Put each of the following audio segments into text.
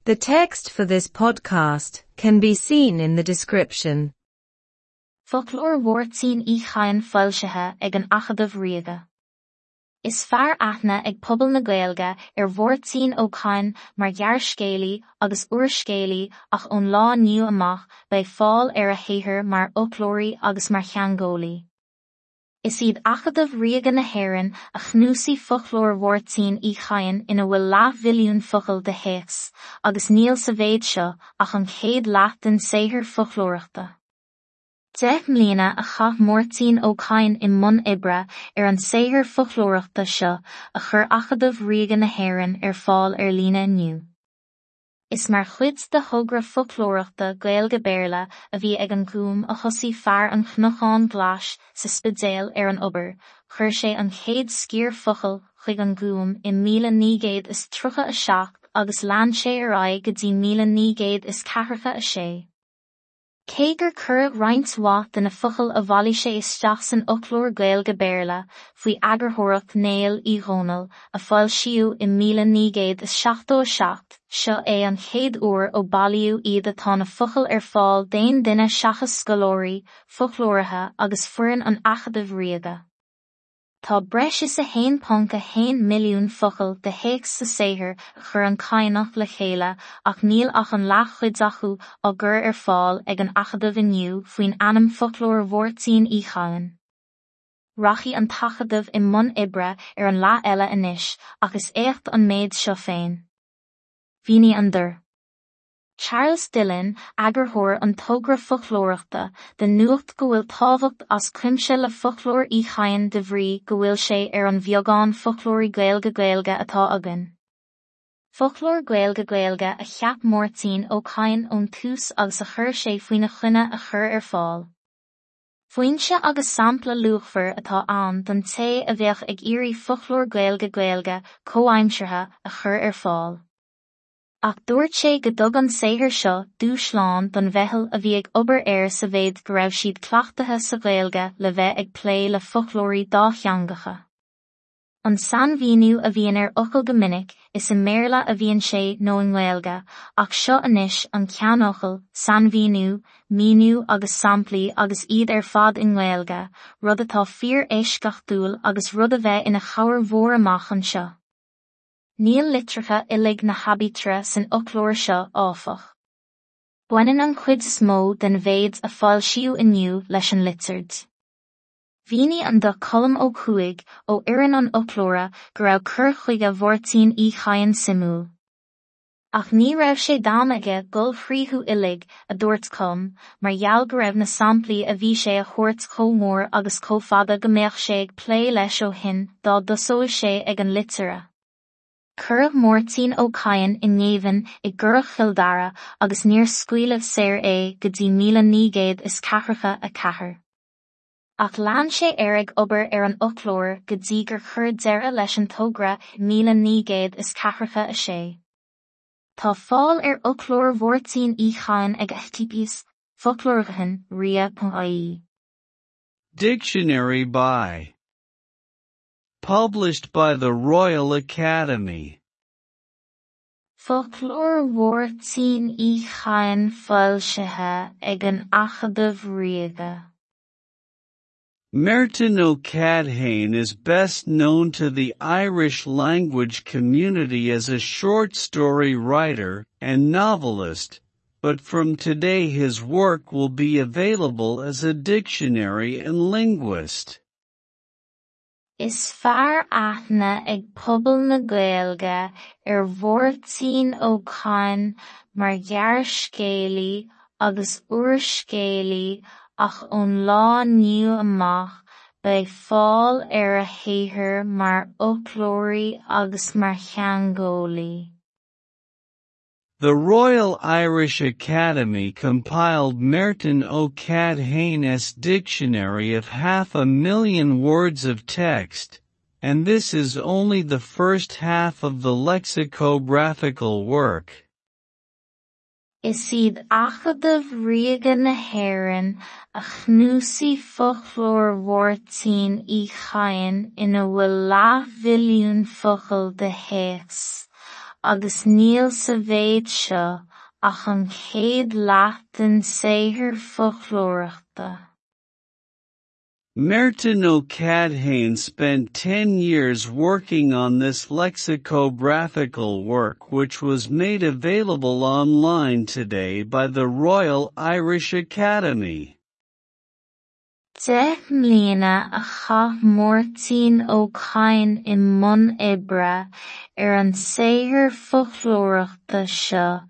The text for this podcast can be seen in the description. Foclóir Mháirtín Uí Chadhain foilsithe ag an Acadamh Ríoga. Is fearr aithne ag pobal na Gaeilge ar Mháirtín Ó Cadhain mar ghearrscéalaí agus úrscéalaí ach ón lá inniu amach beidh fáil ar a shaothar mar fhoclóirí agus mar theangeolaí. Is iad Acadamh Ríoga na hÉireann a chnuasaigh foclóir Mháirtín Uí Chadhain ina bhfuil leathmhilliún focal de théacs, agus níl sa mhéid seo ach an chéad leath den saothar foclóireachta. 10 mbliana a chaith Máirtín Ó Cadhain i mbun oibre ar an saothar foclóireachta seo a chuir Acadamh Ríoga na hÉireann ar fáil ar líne inniu. Is mar chuid de thogra foclóireachta Gaeilge-Béarla a bhí ag an Gúm a thosaigh fear an Chnocáin Ghlais sa Spidéal ar an obair, chuir sé an chéad sciar focal chuig an Gúm i 1937 agus lean sé ar aghaidh go dtí 1946. Cé gur cuireadh roinnt mhaith de na focail a bhailigh sé isteach san fhoclóir Gaeilge-Béarla faoi eagarthóireacht Néill Uí Dhónaill, a foilsíodh i 1977, seo é an chéad uair ó bailíodh iad atá na focail ar fáil d'aon duine seachas scoláirí, foclóirithe agus foireann an Acadaimh Ríoga. Tá breis is 1.1 milliún focal de théacs sa saothar a chuir an Cadhnach le chéile ach níl ach an leathchuid acu á gcur ar fáil ag an Acadamh inniu faoin ainm Foclóir Mháirtín Uí Chadhain. Rachaidh an tAcadamh i mbun oibre ar an leath eile anois ach is éacht an méid seo féin. Mhínigh an Dr. Charles Dillon, eagarthóir an togra foclóireachta, do Nuacht go bhfuil tábhacht as cuimse le Foclóir Uí Chadhain de bhrí go bhfuil sé ar an bheagán foclóirí Gaeilge-Gaeilge atá againn. Foclóir Gaeilge-Gaeilge a cheap Máirtín Ó Cadhain ón tús agus a chuir sé faoina choinne a chur ar fáil. Foinse agus sampla luachmhar atá ann don té a bheadh ag iarraidh foclóir Gaeilge-Gaeilge comhaimseartha a chur ar fáil. Ach dúirt sé go dtug an saothar seo dúshlán don mheitheal a bhí ag obair air sa mhéid go raibh siad cleachtaithe sa Ghaeilge le bheith ag plé le foclóirí dátheangacha. An sainmhíniú a bhíonn ar fhocal go minic, is i mBéarla a bhíonn sé nó i nGaeilge, ach seo anois an ceannfhocal, sainmhíniú, míniú agus samplaí agus iad ar fad i nGaeilge, rud atá fíor-eisceachtúil agus rud a bheidh ina chabhair mhór amach anseo. Níl litreacha uilig na haibítre san fhoclóir seo, áfach. Baineann an chuid is mó den mhéid a foilsíodh inniu leis an litir D. Mhínigh an Dr Colm Ó Cuaig, ó fhoireann an fhoclóra, go raibh cur chuige Mháirtín Uí Chadhain suimiúil. Ach ní raibh sé d'am aige dul fríothu uilig, a dúirt Colm, mar gheall go raibh na samplaí a bhí sé a thabhairt chomh mór agus chomh fada go mbeadh sé ag plé leis ó shin dá dtosódh sé ag an litir A. Cuireadh Máirtín Ó Cadhain i ngéibheann i gCurrach Chill Dara agus níor scaoileadh saor é go dtí 1944. Ach lean sé air ag obair ar an fhoclóir go dtí gur cuireadh deireadh leis an togra i 1946. Tá fáil ar Fhoclóir Mháirtín Uí Chadhain ag https, foclóirchadhain.ria.ie. Dictionary by Published by the Royal Academy. Foclóir Mháirtín Uí Chadhain foilsithe ag an Acadamh Ríoga. Máirtín Ó Cadhain is best known to the Irish language community as a short story writer and novelist, but from today his work will be available as a dictionary and linguist. Is fearr aithne ag pobal na Gaeilge ar Mháirtín Ó Cadhain mar ghearrscéalaí agus úrscéalaí ach ón lá inniu amach beidh fáil ar a shaothar mar fhoclóirí agus mar theangeolaí. The Royal Irish Academy compiled Máirtín Ó Cadhain's dictionary of half a million words of text, and this is only the first half of the lexicographical work. Is iad Acadamh Ríoga na hÉireann a chnuasaigh Foclóir Mháirtín Uí Chadhain ina bhfuil leathmhilliún focal de théacs, agus níl sa mhéid seo ach an chéad leath den saothar foclóireachta. Máirtín Ó Cadhain spent 10 years working on this lexicographical work, which was made available online today by the Royal Irish Academy. 10 mbliana a chaith Máirtín Ó Cadhain i mbun oibre ar an saothar foclóireachta seo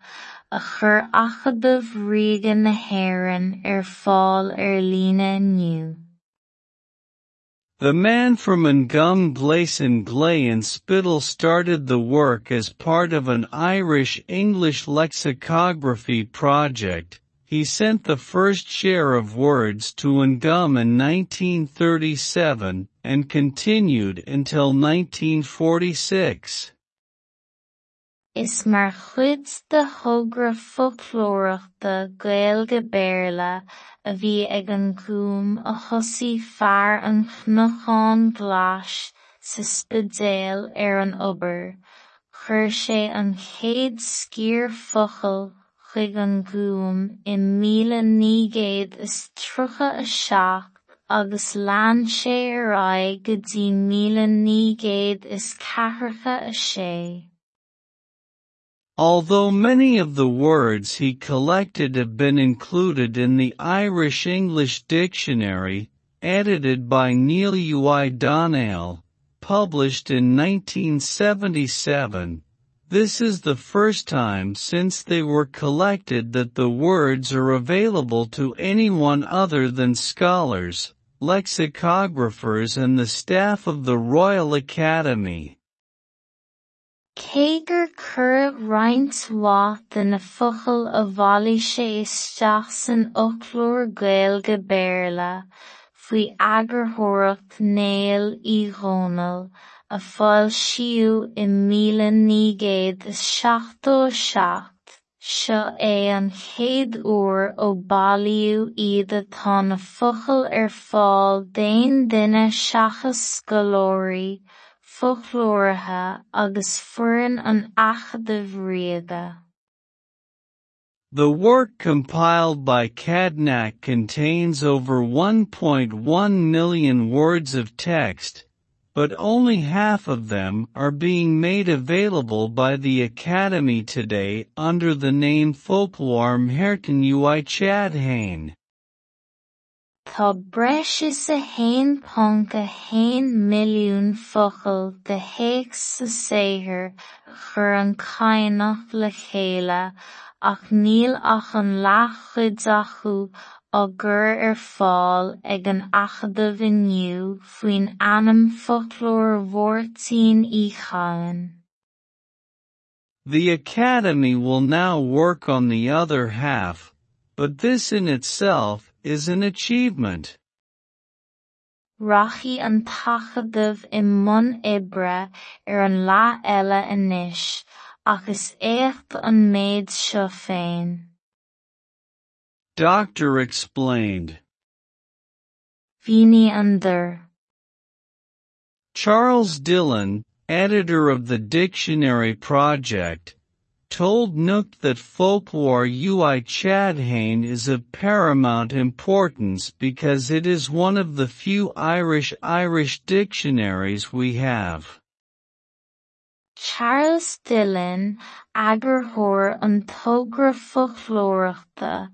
a chuir Acadamh Ríoga na hÉireann ar fáil ar líne inniu. The man from An Gúm Gleason Glay in Spiddal started the work as part of an Irish-English lexicography project. He sent the first share of words to An Gúm in 1937 and continued until 1946. Is mar chuid de thogra foclóireachta Gaeilge-Béarla a bhí ag an Gúm a thosaigh fear an Chnocáin Ghlais sa Spidéal ar an obair, chuir sé an chéad sciar focal chuig an Gúm i 1937 agus lean sé ar aghaidh go dtí 1946. Although many of the words he collected have been included in the Irish-English Dictionary, edited by Niall Uí Dhomhnaill, published in 1977, this is the first time since they were collected that the words are available to anyone other than scholars, lexicographers and the staff of the Royal Academy. Cé gur cuireadh roinnt mhaith de na focail a bhailigh sé isteach san fhoclóir Gaeilge-Béarla, faoi eagarthóireacht Néill Uí Dhomhnaill, a foilsíodh i 1977, seo é an chéad uair ó bailíodh iad atá na focail ar fáil d'aon duine seachas scoláirí, foclóirithe agus foireann an Acadaimh Ríoga. The work compiled by Cadhnach contains over 1.1 million words of text, but only half of them are being made available by the Academy today under the name Foclóir Mháirtín Uí Chadhain. Tá breis is 1.1 milliún focal de théacs sa saothar a chuir an Cadhnach le chéile ach níl ach an leathchuid acu á gcur ar fáil ag an Acadamh inniu faoin ainm Foclóir Mháirtín Uí Chadhain. The Academy will now work on the other half, but this in itself is an achievement. Rachaidh an tAcadamh i mbun oibre ar an leath eile anois, ach is éacht an méid seo féin. Doctor explained. Mhínigh an Dr. Charles Dillon, editor of the Dictionary Project, told Nuacht that Foclóir Uí Chadhain is of paramount importance because it is one of the few Irish-Irish dictionaries we have. Charles Dillon, eagarthóir an togra foclóireachta,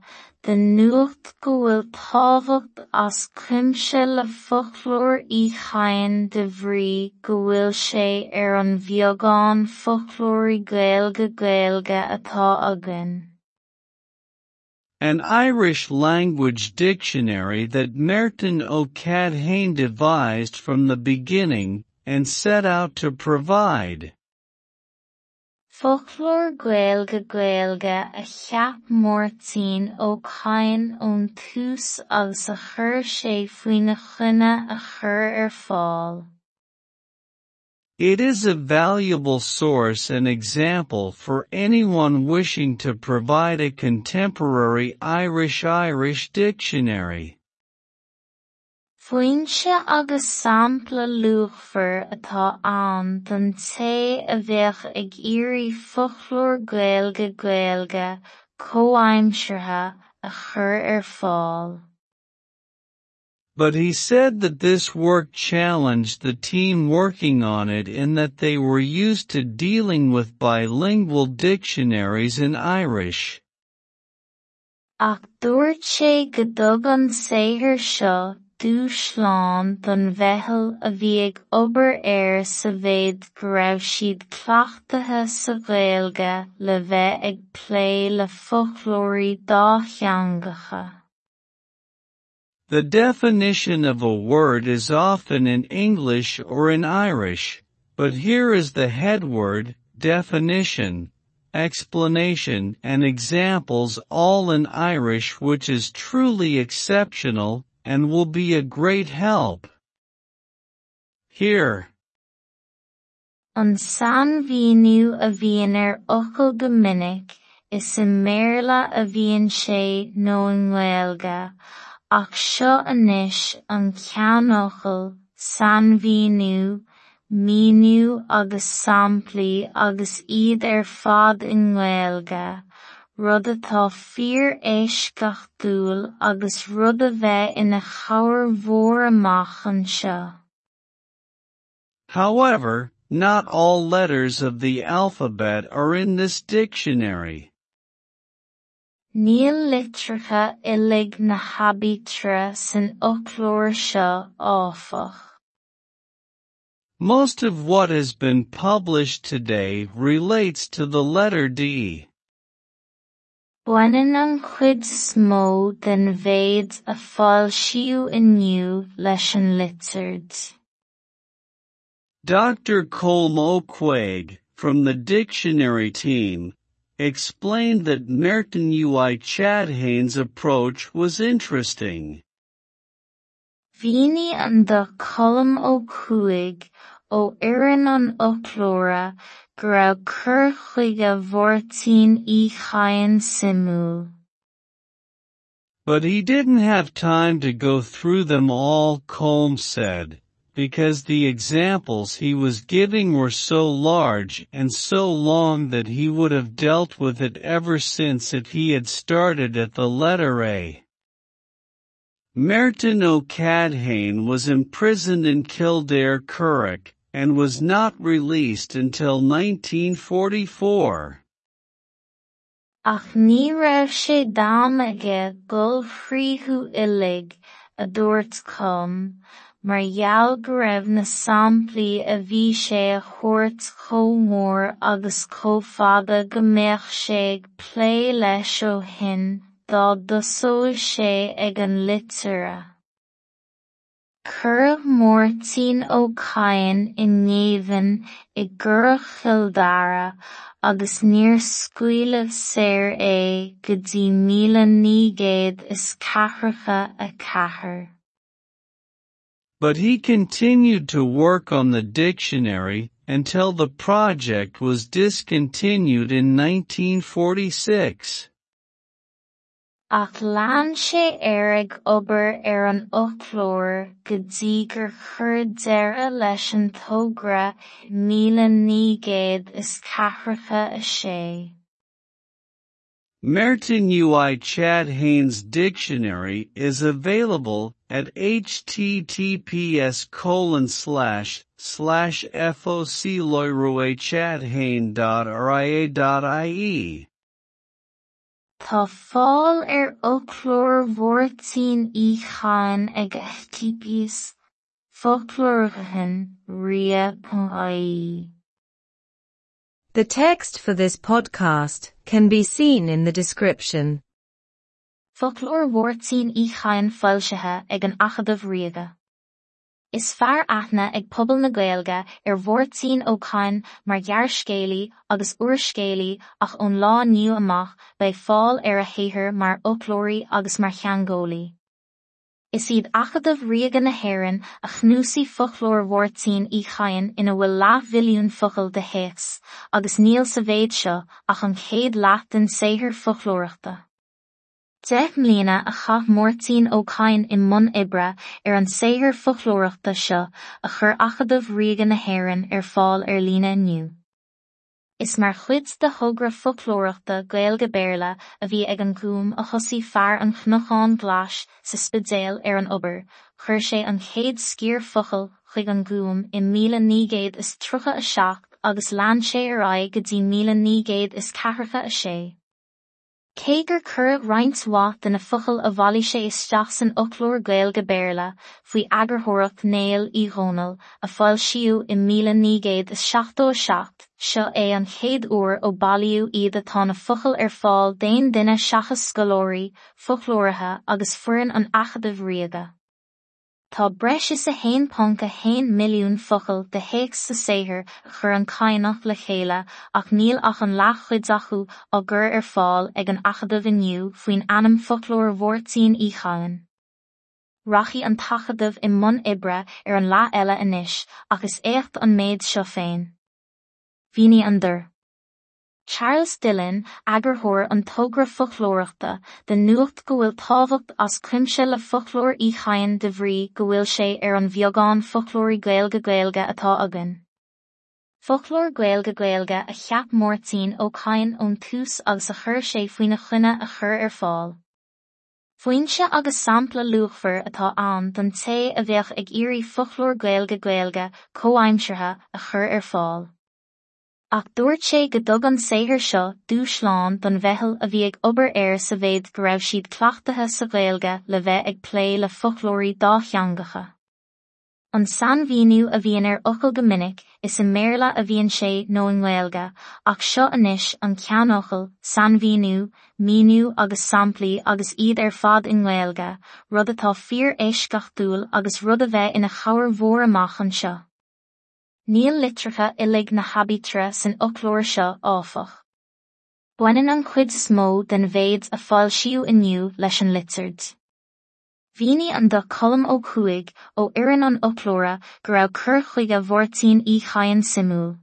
do Nuacht go bhfuil tábhacht as cuimse le Foclóir Uí Chadhain de bhrí go bhfuil sé ar an bheagán foclóirí Gaeilge-Gaeilge atá againn. An Irish language dictionary that Máirtín Ó Cadhain devised from the beginning and set out to provide. Foclóir Gaeilge-Gaeilge a cheap Máirtín Ó Cadhain ón tús agus a chuir sé faoina choinne a chur ar fáil. It is a valuable source and example for anyone wishing to provide a contemporary Irish-Irish dictionary. Foinse agus sampla luachmhar atá ann don té a bheadh ag iarraidh foclóir Gaeilge-Gaeilge comhaimseartha a chur ar fáil. But he said that this work challenged the team working on it in that they were used to dealing with bilingual dictionaries in Irish. Ach dúirt sé go dtug an saothar seo dúshlán don mheitheal a bhí ag obair air sa mhéid go raibh siad cleachtaithe sa Ghaeilge le bheith ag plé le foclóirí dátheangacha. The definition of a word is often in English or in Irish, but here is the headword, definition, explanation and examples all in Irish, which is truly exceptional and will be a great help. Here. An sainmhíniú a bhíonn ar fhocal go minic, is i mBéarla a bhíonn sé nó i nGaeilge, ach seo anois an ceannfhocal, sainmhíniú, míniú agus samplaí agus iad ar fad i nGaeilge, rud atá fíor-eisceachtúil agus rud a bheidh ina chabhair mhór amach anseo. However, not all letters of the alphabet are in this dictionary. Níl litreacha uilig na haibítre san fhoclóir seo, áfach. Most of what has been published today relates to the letter D. Baineann an chuid is mó den mhéid a foilsíodh inniu leis an litir D. Dr. Colm Ó Cuaig, from the dictionary team, explained that Máirtín Uí Chadhain's approach was interesting. Mhínigh an Dr Colm Ó Cuaig ó fhoireann an fhoclóra go raibh cur chuige Mháirtín Uí Chadhain suimiúil. But he didn't have time to go through them all, Colm said, because the examples he was giving were so large and so long that he would have dealt with it ever since if he had started at the letter A. Máirtín Ó Cadhain was imprisoned in Kildare Currach, and was not released until 1944. Ach ní raibh sé d'am aige dul fríothu uilig, a dúirt Colm, mar gheall go raibh na samplaí a bhí sé a thabhairt chomh mór agus chomh fada go mbeadh sé ag plé leis ó shin dá dtosódh sé ag an litir A. Cuireadh Máirtín Ó Cadhain i ngéibheann i gCurrach Chill Dara agus níor scaoileadh saor é go dtí míle naoi gcéad is ceathracha a ceathair. But he continued to work on the dictionary until the project was discontinued in 1946. Ach lean sé air ag obair ar an fhoclóir go dtí gur chuir deireadh leis an togra míle naoi gcéad is ceathracha a sé. Máirtín Uí Chadhain's dictionary is available at https://focloiruichadhain.ria.ie. Tá fáil ar fhoclóir Mháirtín Uí Chadhain ag https foclóirchadhain.ria.ie. The text for this podcast can be seen in the description. Foclóir Mháirtín Uí Chadhain foilsithe ag an Acadamh Ríoga. Is fearr aithne ag pobal na Gaeilge ar Mháirtín Ó Cadhain mar ghearrscéalaí agus úrscéalaí ach ón lá inniu amach beidh fáil ar a shaothar mar fhoclóirí agus mar theangeolaí. Is iad Acadamh Ríoga na hÉireann a chnuasaigh foclóir Mháirtín Uí Chadhain ina bhfuil leathmhilliún focal de théacs, agus níl sa mhéid seo ach an chéad leath den saothar foclóireachta. 10 mbliana a chaith Máirtín Ó Cadhain i mbun oibre ar an saothar foclóireachta seo a chuir Acadamh Ríoga na hÉireann ar fáil ar líne inniu. Is mar chuid de thogra foclóireachta Gaeilge-Béarla a bhí ag an Gúm a thosaigh fear an Chnocáin Ghlais sa Spidéal ar an obair, chuir sé an chéad sciar focal chuig an Gúm i 1937 agus lean sé ar aghaidh go dtí 1946. Cé gur cuireadh roinnt mhaith de na focail a bhailigh sé isteach san fhoclóir Gaeilge-Béarla, faoi eagarthóireacht Néill Uí Dhónaill, a foilsíodh i 1977, seo é an chéad uair ó bailíodh iad atá na focail ar fáil d'aon duine seachas scoláirí, foclóirithe agus foireann an Acadaimh Ríoga. Tá breis is 1.1 milliún focal de théacs sa saothar a chuir an Cadhnach le chéile ach níl ach an leathchuid acu á gcur ar fáil ag an Acadamh inniu faoin ainm Foclóir Mháirtín Uí Chadhain. Rachaidh an tAcadamh i mbun oibre ar an leath eile anois ach is éacht an méid seo féin. Mhínigh an Dr. Charles Dillon, eagarthóir an togra foclóireachta, do Nuacht go bhfuil tábhacht as cuimse le Foclóir Uí Chadhain de bhrí go bhfuil sé ar an bheagán foclóirí Gaeilge-Gaeilge atá againn. Foclóir Gaeilge-Gaeilge a cheap Máirtín Ó Cadhain ón tús agus a chuir sé faoina choinne a chur ar fáil. Foinse agus sampla luachmhar atá ann don té a bheadh ag iarraidh foclóir Gaeilge-Gaeilge comhaimseartha a chur ar fáil. Ach dúirt sé go dtug an saothar seo dúshlán don mheitheal a bhí ag obair air sa mhéid go raibh siad cleachtaithe sa Ghaeilge le bheith ag plé le foclóirí dátheangacha. An sainmhíniú a bhíonn ar fhocal go minic, is i mBéarla a bhíonn sé nó i nGaeilge, ach seo anois an ceannfhocal, sainmhíniú, míniú agus samplaí agus iad ar fad i nGaeilge, rud atá fíor-eisceachtúil agus rud a bheidh ina chabhair mhór amach anseo. Níl litreacha uilig na haibítre san fhoclóir seo, áfach. Baineann an chuid is mó den mhéid a foilsíodh inniu leis an litir D. Mhínigh an Dr Colm Ó Cuaig, ó fhoireann an fhoclóra, go raibh cur chuige Mháirtín Uí Chadhain suimiúil.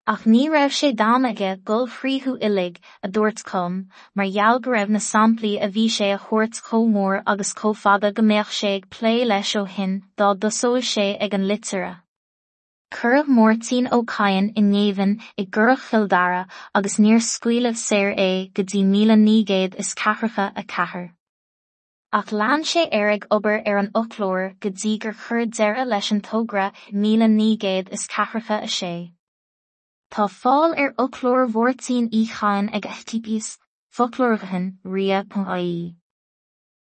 Ach ní raibh sé d'am aige dul fríothu uilig, a dúirt Colm, mar gheall go raibh na samplaí a bhí sé a thabhairt chomh mór agus chomh fada go mbeadh sé ag plé leis ó shin dá dtosódh sé ag an litir A. Cuireadh Máirtín Ó Cadhain i ngéibheann i gCurrach Chill Dara agus níor scaoileadh saor é go dtí 1944. Ach lean sé air ag obair ar an fhoclóir go dtí gur cuireadh deireadh leis an togra i 1946. Tá fáil ar Fhoclóir Mháirtín Uí Chadhain ag https, foclóirchadhain, ria.ie.